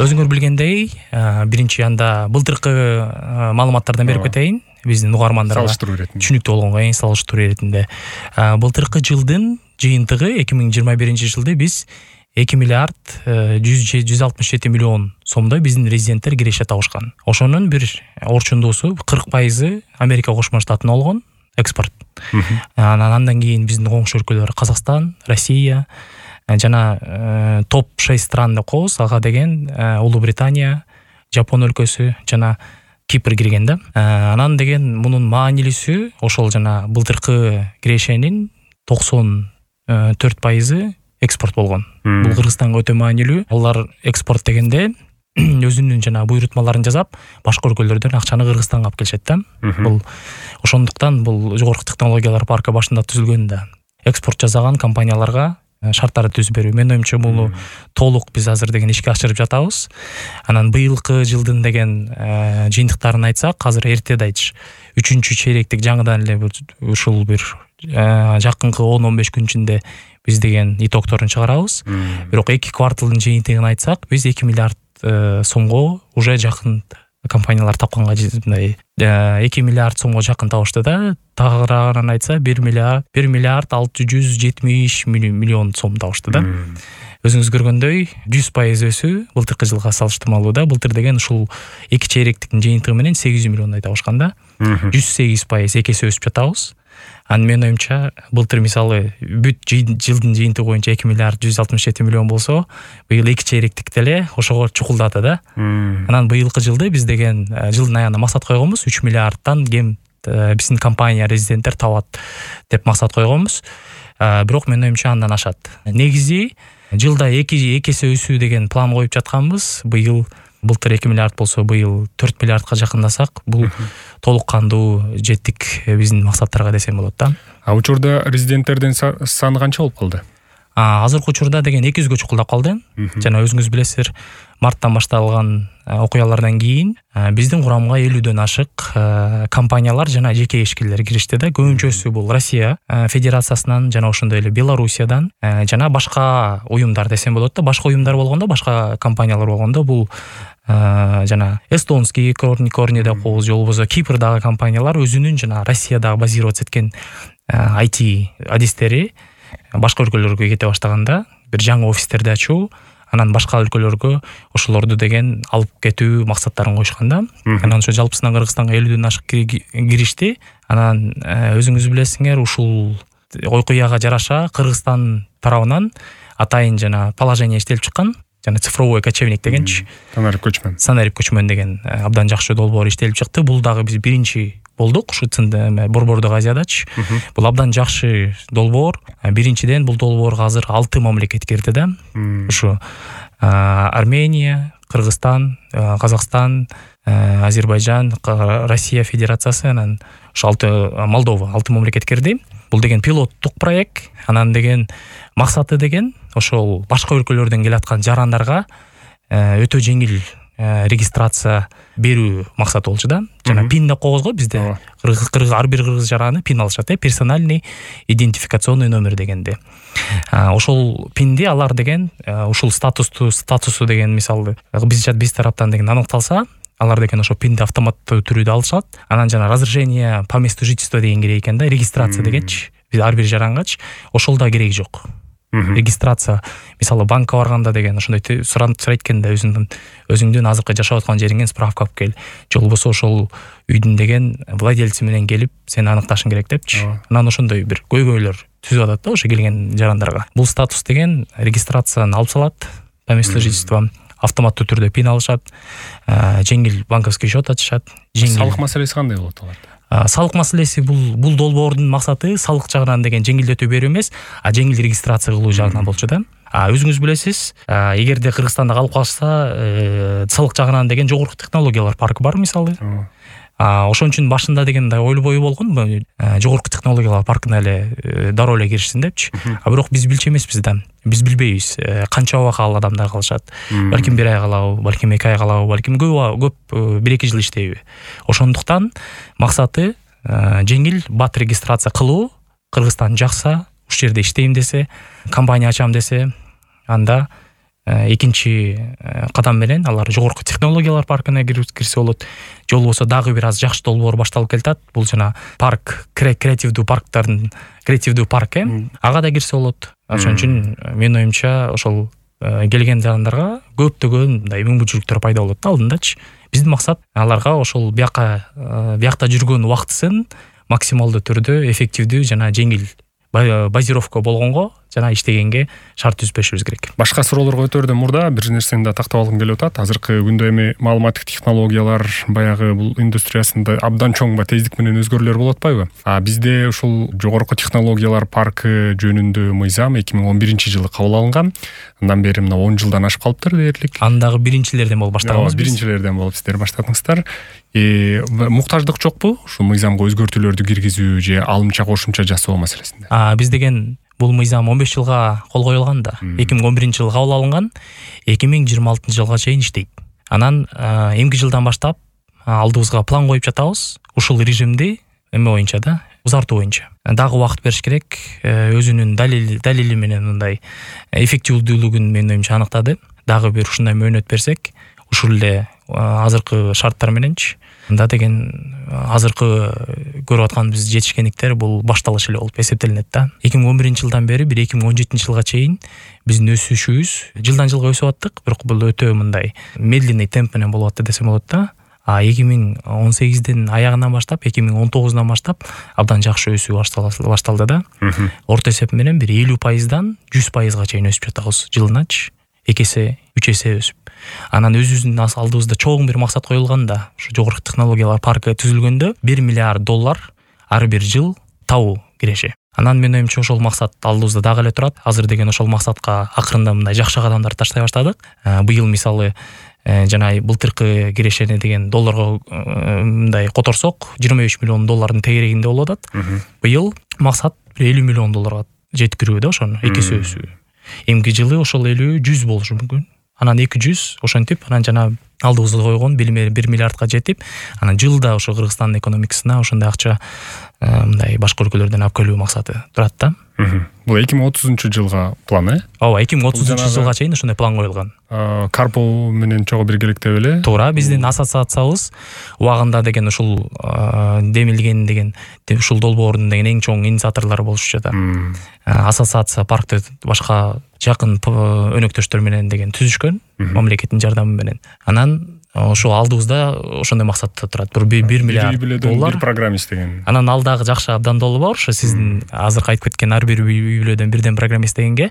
Өзүңөр билгендей, биринчи анда былтыркы маалыматтардан берип кетейин биздин угармандарга түшүнүктүү болгонго салыштыруу иретинде. Былтыркы жылдын жыйынтыгы 2021 жылды биз 2 миллиард 167 миллион сомдой биздин резиденттер киреше табышкан. Ошонун бир орчундуусу 40% Америка Кошмо Штатына болгон экспорт. Андан кийин биздин коңшу өлкөлөр Казакстан, Россия жана топ 6 стран деп коебуз. Ага деген Улуу Британия, Жапон өлкөсү жана Кипр кирген да. Анан деген мунун маанилүүсү ошол жана былтыркы кирешенин 94% экспорт болгон. Бул Кыргызстанга өтө маанилүү. Алар экспорт дегенде өзүнүн жана буйрутмаларын жасап, башка өлкөлөрдөн акчаны Кыргызстанга алып келишет да. Бул ошондуктан бул жогорку технологиялар паркы башында түзүлгөн да. Экспорт жасаган компанияларга шарттарды түзүп берүү. Менин оюмча бул толук биз азыр деген ишке ашырып жатабыз. Анан быйылкы жылдын деген жыйынтыктарын айтсак, азыр эрте да айтыш. 3-чейректик жаңыдан эле ушул бир жакынкы 10-15 күн ичинде биз деген итогторун чыгарабыз. Бирок 2 кварталдын жыйынтыгын айтсак, биз 2 миллиард сомго уже жакын компаниялар тапканга мындай 2 миллиард сомго жакын табышты да. Тагыраагынан айтса 1 миллиард 670 миллион сом табышты да. Өзүңүз көргөндөй 100% өсүү былтыркы жылга салыштырмалуу да. Былтыр деген ушул 2 чейректиктин жыйынтыгы менен 800 миллиондой табышкан да. 108% экесе өсүп жатабыз. Менин оюмча былтыр мисалы бүт жылдын жыйынтыгы боюнча 2 миллиард 167 миллион болсо, быйыл 2 чейректик деле ошого чукулдады да. Анан быйылкы жылды биз деген жылдын аягына максат койгонбуз, 3 миллиардтан кем биздин компания резиденттер табат деп максат койгонбуз. Бирок менин оюмча андан ашат. Негизи жылда 2 эсе өсүү деген план коюп жатканбыз. Былтыр 2 миллиард болсо, быйыл 4 миллиардка жакындасак, бул толук кандуу жеттик биздин максаттарга десем болот да. Учурда резиденттердин саны канча болуп калды? Азыркы учурда деген 200гө чукулдап калды. Жана өзүңүз билесиздер, марттан башталган окуялардан кийин биздин курамга 50дөн ашык компаниялар жана жеке ишкерлер киришти да. Көбүнчөсү бул Россия Федерациясынан жана ошондой эле Белоруссиядан жана башка уюмдар десем болот да. Башка уюмдар болгондо, башка компаниялар болгондо бул жана эстонский корни деп коебуз, же болбосо Кипрдагы компаниялар өзүнүн жана Россиядагы базироваться эткен IT адистери башка өлкөлөргө кете баштаганда, бир жаңы офистерди ачуу, анан башка өлкөлөргө ошолорду деген алып кетүү максаттарын коюшкан да. Анан ошо жалпысынан Кыргызстанга 50дөн ашык киришти. Анан өзүңүз билесиңер, ушул окуяга жараша Кыргызстан тарабынан атайын жана положение иштелип чыккан. Жана цифровой кочевник дегенчи. Санарип көчмөн деген абдан жакшы долбоор иштелип чыкты. Бул дагы биз биринчи болдук ушу Борбордук Азиядачы. Бул абдан жакшы долбоор. Биринчиден бул долбоорго азыр 6 мамлекет кирди да. Ушу Армения, Кыргызстан, Казакстан, Азербайжан, Россия Федерациясы, анан ушу Молдова 6 мамлекет кирди. Бул деген пилоттук проект. Анан деген максаты деген ошол башка өлкөлөрдөн келаткан жарандарга өтө жеңил регистрация берүү максаты болчу да. Жана пин деп коебуз го бизде. Ар бир кыргыз жараны пин алышат, персональный идентификационный номер дегенде. Ошол пинди алар деген ушул статусу деген мисалы биз тараптан деген аныкталса, алар деген ошо пинди автоматтуу түрдө алышат. Анан жана разрешение по месту жительства деген керек экен да, регистрация дегенчи. Биз ар бир жарангачы ошол да керек жок. Регистрация, мисалы банкка барганда деген ошондой сурайт экенде өзүңдүн азыркы жашап аткан жериңден справка алып кел, же болбосо ошол үйдүн деген владельци менен келип сени аныкташың керек депчи. Анан ошондой бир көйгөйлөр түзүп атат да ошо келген жарандарга. Бул статус деген регистрацияны алып салат, по месту жительства, автоматтуу түрдө пин алышат, жеңил банковский счет ачышат. Салык маселеси кандай болот аларда? Салык маселеси бул долбоордун максаты салык жагынан деген жеңилдетүү берүү эмес, жеңил регистрация кылуу жагынан болчу да. Өзүңүз билесиз, эгерде Кыргызстанда калып калса, салык жагынан деген жогорку технологиялар паркы бар мисалы. Ошон үчүн башында деген мындай ойлобой болгон, жогорку технологиялар паркына эле дароо эле киришсин депчи. Бирок биз билчү эмеспиз да. Биз билбейбиз канча убакыт ал адамдар калышат. Балким 1 ай калабы, балким 2 ай калабы, балким көп 1-2 жыл иштейби. Ошондуктан максаты жеңил бат регистрация кылуу. Кыргызстан жакса, ушул жерде иштейм десе, компания ачам десе, анда экинчи кадам менен алар жогорку технологиялар паркына кирсе болот. Же болбосо дагы бир аз жакшы долбоор башталып келатат. Бул жана парк, креативдүү парктардын креативдүү парк ага да кирсе болот. Ошон үчүн менин оюмча ошол келген жандарга көптөгөн мындай мүмкүнчүлүктөр пайда болот алдындачы. Биздин максат аларга ошол биякта жүргөн убактысын максималдуу түрдө эффективдүү жана жеңил базировка болгонго жана иштегенге шарт түзбөшүбүз керек. Башка суроолорго өтөрдөн мурда бир нерсени да тактап алгым келип атат. Азыркы күндө эми маалыматтык технологиялар баягы бул индустриясында абдан чоң тездик менен өзгөрүүлөр болуп атпайбы? Бизде ушул жогорку технологиялар паркы жөнүндө мыйзам 2011-жылы кабыл алынган. Андан бери мына 10 жылдан ашып калыптыр дээрлик. Андагы биринчилерден болуп баштаганбыз. Биринчилерден болуп сиздер баштадыңыздар. Муктаждык жокпу ушул мыйзамга өзгөртүүлөрдү киргизүү же алымча кошумча жасоо маселесинде? Биз деген бул мыйзам 15 жылга кол коюлган да. 2011-жылы кабыл алынган, 2026-жылга чейин иштейт. Анан эмки жылдан баштап алдыбызга план коюп жатабыз. Ушул режимди эме боюнча да, узартуу боюнча. Дагы убакыт бериш керек. Өзүнүн далили менен мындай эффективдүүлүгүн менин оюмча аныктады. Дагы бир ушундай мөөнөт берсек, ушул эле азыркы шарттар мененчи мында деген азыркы көрүп атканыбыз жетишкендиктер бул башталыш эле болуп эсептелинет да. 2011-жылдан бери 2017-жылга чейин биздин өсүшүбүз жылдан жылга өсүп аттык, бирок бул өтө мындай медленный темп менен болуп атты десем болот да. 2018-дин аягынан баштап 2019-дан баштап абдан жакшы өсүү башталды да. Орто есеп менен бир 50%дан 100%га чейин өсүп жатабыз жылыначы. 2 эсе, 3 эсе өсүп. Анан өзүбүздүн алдыбызда чоң бир максат коюлган да. Ушу жогорку технологиялар паркы түзүлгөндө $1 миллиард ар бир жыл табуу киреше. Анан менин оюмча ошол максат алдыбызда дагы эле турат. Азыр деген ошол максатка акырында мындай жакшы кадамдар таштай баштадык. Быйыл мисалы жана былтыркы кирешени деген долларга мындай которсок $25 миллион тегерегинде болуп атат. Быйыл максат $50 миллион жеткирүү да, ошону 2 эсе өсүү. Эмки жылы ошол 50-100 болушу мүмкүн. Анан 200 ошентип, анан жана алдыбызга койгон $1 миллиардга жетип, анан жылда ошо Кыргызстандын экономикасына ошондой акча мындай башка өлкөлөрдөн алып келүү максаты турат да. Бул 2030-жылга план, Ооба, 2030-жылга чейин ошондой план коюлган. Карпо менен чогуу биргеликте беле? Туура, биздин ассоциациябыз убагында деген ушул демилген деген ушул долбоордун деген эң чоң инициаторлору болушчу да. Ассоциация паркты башка жакын өнөктөштөр менен деген түзүшкөн, мамлекеттин жардамы менен. Анан ошо алдыбызда ошондой максат турат. $1 миллиард. Bir программист деген. Анан алдагы жакшы абдан долбоо бар. Ошо сиздин азыркы айтып кеткен ар бир үй бүлөдөн бирден программист дегенге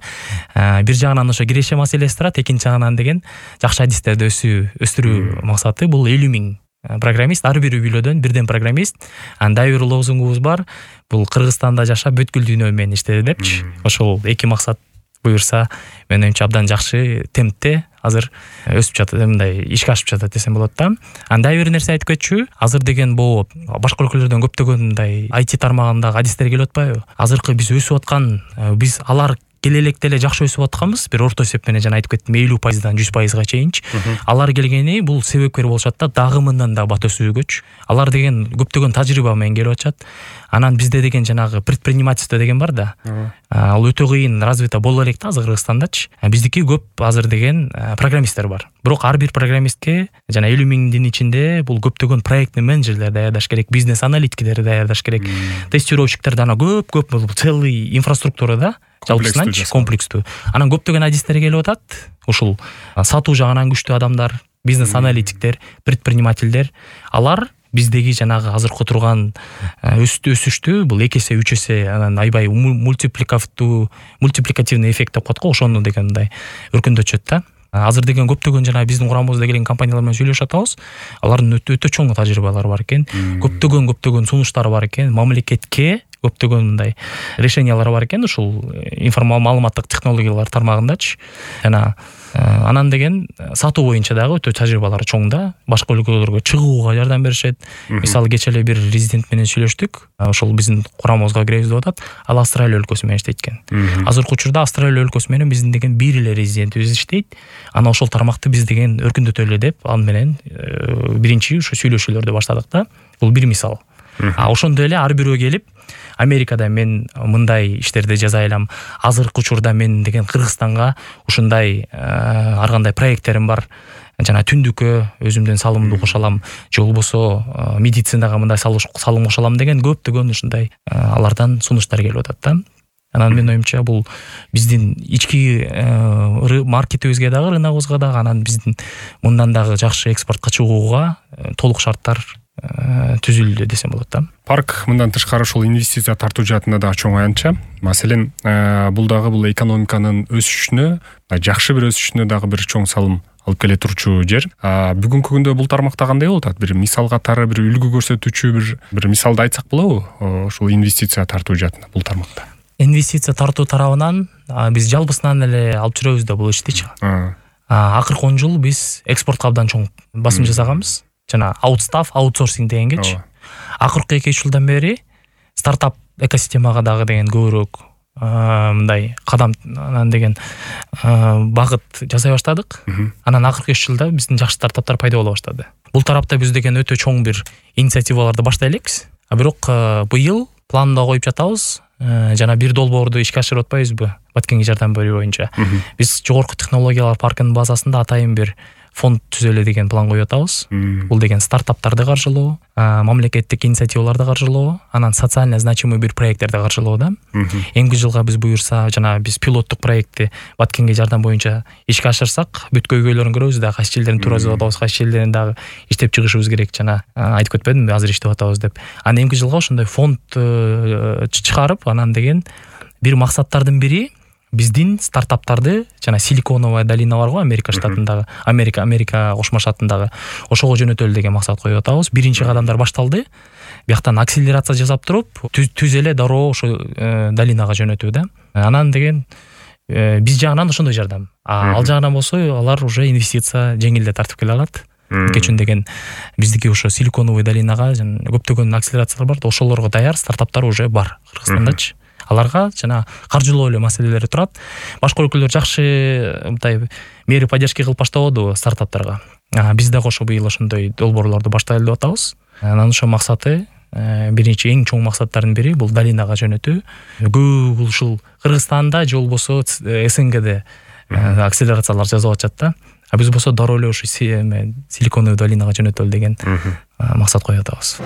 бир жагынан ошо киреше маселеси турат, экинчи жагынан деген жакшы адистерди өстүрүү максаты. Бул 50 000 программист, ар бир үй бүлөдөн бирден программист. Анда бир лозунгубуз бар. Бул Кыргызстанда жашап бүткүл дүйнө менен иштеди депчи. Ошол эки максат буюрса, менин оюмча абдан жакшы темпте азыр өсүп жатат, мындай ишке ашып жатат десем болот да. Андай бир нерсе айтып кетчү. Азыр деген бул башка өлкөлөрдөн көптөгөн мындай IT тармагындагы адистер келип атпайбы? Азыркы биз өсүп аткан, биз алар келелекте эле жакшы өсүп атканбыз. Бир орто эсеп менен жана айтып кеттим 50%дан 100%га чейинчи. Алар келгени бул себепкер болушат да, дагы мындан да бат өсүүгөчү. Алар деген көптөгөн тажрыйба менен келип атышат. Анан бизде деген жанагы предпринимательство деген бар да. Ал өтө кыйын развито боло элек да азыр Кыргызстандачы. Биздики көп азыр деген программисттер бар. Бирок ар бир программистке жана 50 000-дин ичинде бул көптөгөн проектный менеджерлер даярдаш керек, бизнес аналитиктер даярдаш керек, тестировщиктер дана көп бул целый инфраструктура да. Жалпысынан комплекстүү. Анан көптөгөн адистер келип атат. Ушул сатуу жагынан күчтүү адамдар, бизнес аналитиктер, предпринимательдер, алар биздеги жанагы азыркы турган өсүштү бул 2 эсе 3 эсе анан айбай мультипликативный эффект деп коет го, ошону дегендай өркүндөтүшөт да. Азыр деген көптөгөн жана биздин курамыбызда келген компаниялар менен сүйлөшүп атабыз. Алардын өтө чоң тажрыйбалары бар экен. Көптөгөн сунуштары бар экен. Мамлекетке көптөгөн мындай решениялар бар экен ушул маалыматтык технологиялар тармагындачы. Жана анан деген сатуу боюнча дагы өтө тажрыйбалары чоң да. Башка өлкөлөргө чыгууга жардам беришет. Мисалы кече эле бир резидент менен сүйлөштүк. Ошол биздин курамыбызга киребиз деп атат. Ал Австралия өлкөсү менен иштейт экен. Азыркы учурда Австралия өлкөсү менен биздин деген бир эле резидентибиз иштейт. Анан ошол тармакты биз деген өркүндөтөлү деп ал менен биринчи ушу сүйлөшүүлөрдү баштадык да. Бул бир мисал. Ошондой эле ар бирөө келип Америкада мен мындай иштерди жасай алам, азыркы учурда мен деген Кыргызстанга ушундай ар кандай проекттерим бар, жана түндүккө өзүмдүн салымымды кошо алам, же болбосо медицинага мындай салым кошо алам деген көптөгөн ушундай алардан сунуштар келип атат да. Анан менин оюмча бул биздин ички маркетибизге дагы, рыногубузга дагы, анан биздин мындан дагы жакшы экспортко чыгууга толук шарттар түзүлдү десем болот да. Парк мындан тышкары ушул инвестиция тартуу жаатында да чоң аянтча. Маселен, бул дагы бул экономиканын өсүшүнө, жакшы бир өсүшүнө дагы бир чоң салым алып келе турчу жер. Бүгүнкү күндө бул тармакта кандай болуп атат? Бир мисал катары, бир үлгү көрсөтүүчү бир мисалды айтсак болобу? Ушул инвестиция тартуу жаатында бул тармакта. Инвестиция тартуу тарабынан биз жалпысынан эле алып жүрөбүз да бул иштичи. Акыркы 10 жыл биз экспортко абдан чоң басым жасаганбыз. Жана аутсорсинг дегенгечи. Акыркы 2 жылдан бери стартап экосистемага дагы деген көбүрөөк мындай кадам деген багыт жасай баштадык. Анан акыркы 3 жылда биздин жакшы стартаптар пайда боло баштады. Бул тарапта биз деген өтө чоң бир инициативаларды баштай элекпиз. Бирок быйыл планда коюп жатабыз. Жана бир долбоорду ишке ашырып атпайбызбы? Баткенге жардам берүү боюнча. Биз жогорку технологиялар паркынын базасында атайын бир фонд түзөлө деген план коюп атабыз. Бул деген стартаптарды каржылоо, мамлекеттик инициативаларды каржылоо, анан социально значимый бир проекттерди каржылоо да. Эмки жылга биз буюрса, жана биз пилоттук проектти Баткенге жардам боюнча ишке ашырсак, бүт көйгөйлөрүн көрөбүз да, кайсы жерлерин туразып атабыз, кайсы жерлерин дагы иштеп чыгышыбыз керек, жана айтып кетпедимби, азыр иштеп атабыз деп. Анан эмки жылга ошондой фонд чыгарып, анан деген бир максаттардын бири биздин стартаптарды, жана Силиконовая долина бар го, Америка штатындагы, Америка кошмо штатындагы, ошого жөнөтөлү деген максат коюп атабыз. Биринчи кадамдар башталды. Бияктан акселерация жасап туруп, түз эле дароо ошо долинага жөнөтүү да. Анан деген биз жагынан ошондой жардам. Ал жагынан болсо, алар уже инвестиция жеңилдеп тартып келе алат. Кечүн деген биздики ошо Силиконовый долинага көптөгөн акселерациялар бар, ошолорго даяр стартаптар уже бар Кыргызстандачы. Аларга жана каржылоо эле маселелери турат. Башка өлкөлөр жакшы мындай мери поддержка кылып баштабады стартаптарга. Биз дагы ошо быйыл ошондой долбоорлорду баштайлы деп атабыз. Анан ошо максаты, биринчи эң чоң максаттардын бири бул долинага жөнөтүү. Көп ушул Кыргызстанда же болбосо СНГде акселерациялар жасап атышат да. Биз болсо дароо эле ошо Силиконовый долинага жөнөтөлү деген максат коюп атабыз.